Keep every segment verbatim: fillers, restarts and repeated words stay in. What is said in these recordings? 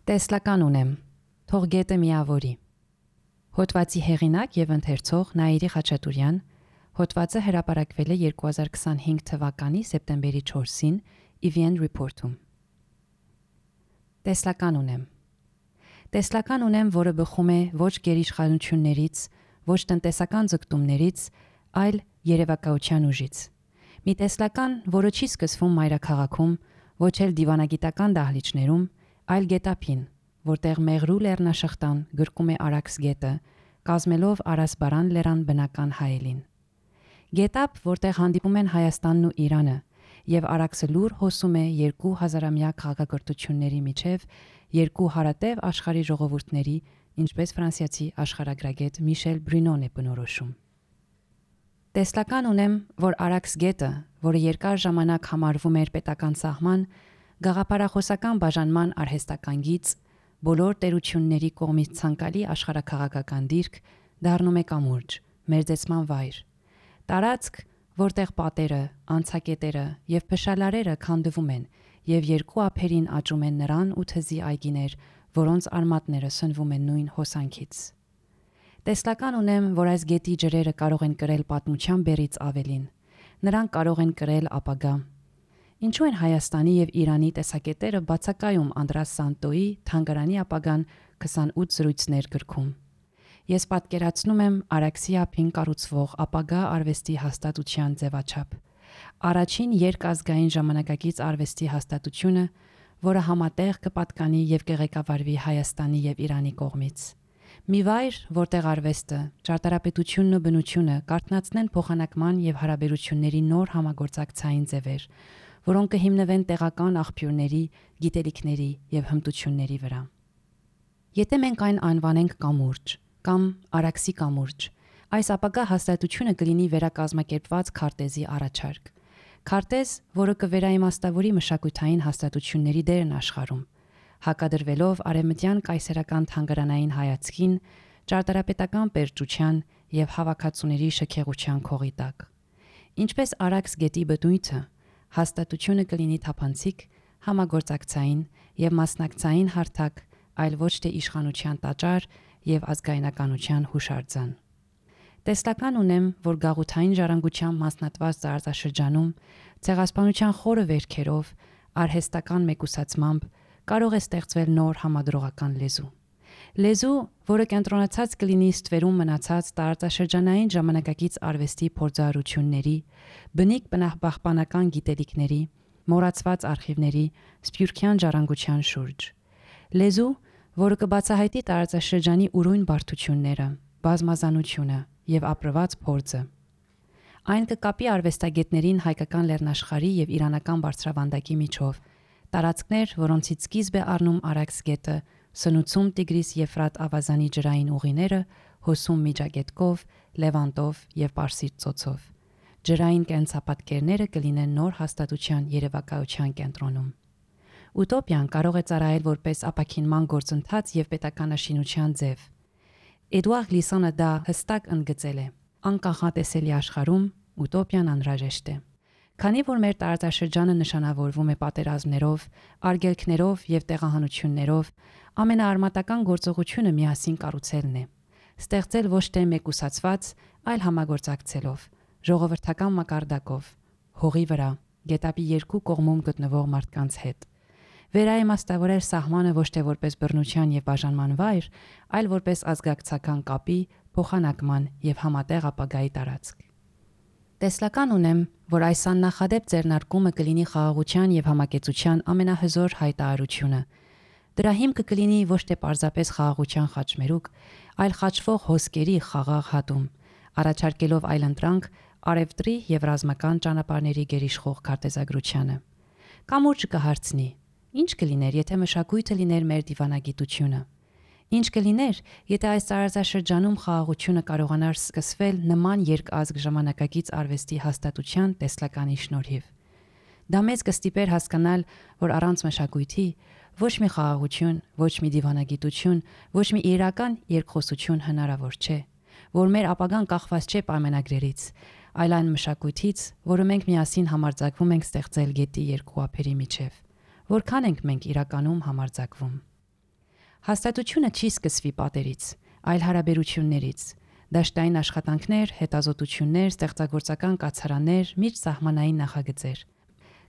Տեսլական ունեմ, թող գետը միավորի։ Հոդվածի հեղինակ եւ ընթերցող Նաիրի Խաչատուրյան, հոդվածը հրապարակվել է երկու հազար քսանհինգ թվականի սեպտեմբերի չորսին Evian Report-ում։ Տեսլական ունեմ։ Տեսլական ունեմ, որը բխում է ոչ գերիշխանություններից, ոչ տնտեսական ձգտումներից, այլ երևակայության ուժից։ Մի տեսլական, որը չի սկսվում մայրաքաղաքում, ոչ էլ դիվանագիտական դահլիճներում, այլ գետափին, որտեղ Մեղրու լեռնաշղթան գրկում է Արաքս գետը, կազմելով Արասբարան լեռան բնական հայելին։ Գետափ, որտեղ հանդիպում են Հայաստանն ու Իրանը, եւ Արաքսը լուր հոսում է երկու հազարամյա քաղաքակրթությունների միջև, երկու հարատև աշխարհի ժողովուրդների, ինչպես ֆրանսիացի աշխարհագրագետ Միշել Բրինոն է բնորոշում։ Տեսլական ունեմ, որ Արաքս գետը, որը երկար ժամանակ համարվում էր պետական սահման, գաղափարախոսական բաժանման արհեստական գիծ, բոլոր տերությունների կողմից ցանկալի աշխարհաքաղաքական դիրք, դառնում է կամուրջ, մերձեցման վայր։ Տարածք, որտեղ պատերը, անցակետերը եւ փշալարերը քանդվում են եւ երկու ափերին աճում են նրան ու թզի այգիներ, որոնց արմատները սնվում են նույն հոսանքից։ Տեսլական ունեմ, որ այս գետի ջրերը կարող են կրել պատմության բեռից ավելին։ Նրանք կարող են կրել ապագա։ Ինչու են Հայաստանի եւ Իրանի տեսակետերը բացակայում Անդրաս Սանտոյի թանգարանի ապագան քսանութ զրույցներ գրքում։ Ես պատկերացնում եմ Արաքսի ափին կառուցվող ապագա արվեստի հաստատության ձևաչափ։ Առաջին երկազգային ժամանակակից արվեստի հաստատությունը, որը համատեղ կպատկանի եւ կղեկավարվի Հայաստանի եւ Իրանի կողմից։ Մի վայր, որտեղ արվեստը, ճարտարապետությունն ու բնությունը կարթնացնեն փոխանակման եւ հարաբերությունների նոր համագործակցային ձևեր, որոնք կհիմնվեն տեղական աղբյուրների, գիտելիքների եւ հմտությունների վրա։ Եթե մենք այն անվանենք կամուրջ կամ Արաքսի կամուրջ, այս ապագա հաստատությունը կլինի վերակազմակերպված քարտեզի առաջարկ։ Քարտեզ, որը կվերաիմաստավորի մշակութային հաստատությունների դերն աշխարհում, հակադրվելով արևմտյան կայսերական թանգարանային հայացքին, ճարտարապետական պերճության եւ հավաքածուների շքեղության քողի տակ։ Ինչպես Արաքս գետի բնույթը, հաստատությունը կլինի թափանցիկ, համագործակցային եւ մասնակցային հարթակ, այլ ոչ թե իշխանության տաճար եւ ազգայնականության հուշարձան։ Տեսլական ունեմ, որ գաղութային ժառանգության մասնատված տարածաշրջանում ցեղասպանության խորը վերքերով, արհեստական մեկուսացմամբ կարող է ստեղծվել նոր համադրողական լեզու։ Լեզու, որը կենտրոնացած կլինի ստվերում մնացած տարածաշրջանային ժամանակակից արվեստի փորձառությունների, բնիկ բնապահպանական գիտելիքների, մոռացված արխիվների, սփյուռքյան ժառանգության շուրջ։ Լեզու, որը կբացահայտի տարածաշրջանի ուրույն բարդությունները, բազմազանությունը եւ ապրված փորձը։ Այն կկապի արվեստագետներին հայկական լեռնաշխարհի եւ իրանական բարձրավանդակի միջով, տարածքներ, որոնցից սկիզբ է առնում Արաքս գետը, սնուցում Տիգրիս-Եֆրատ ավազանի ջրային ուղիները, հոսում Միջագետքով, Լևանտով եւ Պարսից ծոցով։ Ջրային կենցապատկերները կլինեն նոր հաստատության երևակայության կենտրոնում։ Ուտոպիան կարող է ծառայել որպես ապաքինման գործընթաց եւ պետականաշինության ձև։ Էդուարդ Լիսոնը դա հստակ ընդգծել է. անկախատեսելի աշխարհում ուտոպիան անհրաժեշտ է։ Քանի որ մեր տարածաշրջանը նշանավորվում է պատերազմներով, արգելքներով եւ տեղահանություններով, ամենաարմատական գործողությունը միասին կառուցելն է։ Ստեղծել ոչ թե մեկուսացված, այլ համագործակցելով, ժողովրդական մակարդակով, հողի վրա, գետափի երկու կողմում գտնվող մարդկանց հետ։ Վերաիմաստավորել սահմանը ոչ թե որպես բռնության եւ բաժանման վայր, այլ որպես ազգակցական կապի, փոխանակման եւ համատեղ ապագայի տարածք։ Տեսլական ունեմ, որ այս աննախադեպ ձեռնարկումը կլինի խաղաղության եւ համակեցության ամենահզոր հայտարարությունը։ Դրա հիմքը կլինի ոչ թե պարզապես խաղաղության խաչմերուկ, այլ խաչվող հոսքերի խաղաղ հատում, առաջարկելով այլընտրանք արևտրի եւ ռազմական ճանապարհների գերիշխող քարտեզագրությանը։ Կամուրջը կհարցնի. ինչ կլիներ, եթե մշակույթը լիներ մեր դիվանագիտությունը։ Ինչ կլիներ, եթե այս տարածաշրջանում խաղաղությունը կարողանար սկսվել նման երկազգ ժամանակակից արվեստի հաստատության տեսլականի շնորհիվ։ Դա մեզ կստիպեր հասկանալ, որ առանց մշակույթի ոչ մի խաղաղություն, ոչ մի դիվանագիտություն, ոչ մի իրական երկխոսություն հնարավոր չէ, որ մեր ապագան կախված չէ պայմանագրերից, այլ այն մշակույթից, որը մենք միասին համարձակվում ենք ստեղծել գետի երկու ափերի միջև։ Որքան ենք մենք իրականում համարձակվում։ Հաստատությունը չի սկսվի պատերից, այլ հարաբերություններից։ Դաշտային աշխատանքներ, հետազոտություններ, ստեղծագործական կացարաններ, միջսահմանային նախագծեր։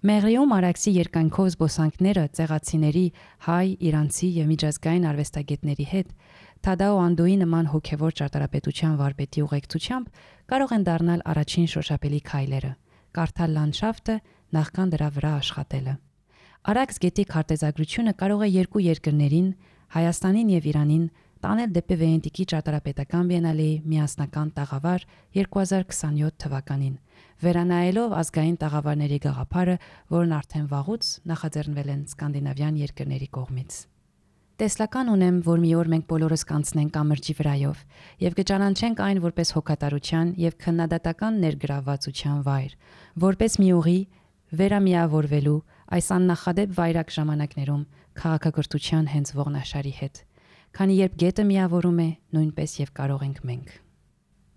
Մեղրիում Արաքսի երկայնքով զբոսանքները ցեղացիների, հայ, իրանցի եւ միջազգային արվեստագետների հետ Թադաո Անդոյի նման հոգեվոր ճարտարապետության վարպետի ուղեկցությամբ կարող են դառնալ առաջին շոշափելի քայլերը, կարդալ լանդշաֆտը, նախքան դրա վրա աշխատելը։ Արաքս գետի քարտեզագրությունը կարող է երկու երկրներին, Հայաստանին եւ Իրանին, տանել դեպի Վենետիկի ճարտարապետական բիենալեի միասնական տաղավար երկու հազար քսանյոթ թվականին, վերանայելով ազգային տաղավարների գաղափարը, որն արդեն վաղուց նախաձեռնվել են սկանդինավյան երկրների կողմից։ Տեսլական ունեմ, որ մի օր մենք բոլորս կանցնենք կամրջի վրայով եւ կճանաչենք այն որպես հոգատարության եւ քննադատական ներգրավվածության վայր, որպես մի ուղի վերամիավորվելու այս աննախադեպ վայրակ ժամանակներում քաղաքակրթության հենց ողնաշարի հետ, քանի երբ գետը միավորում է, նույնպես եւ կարող ենք մենք։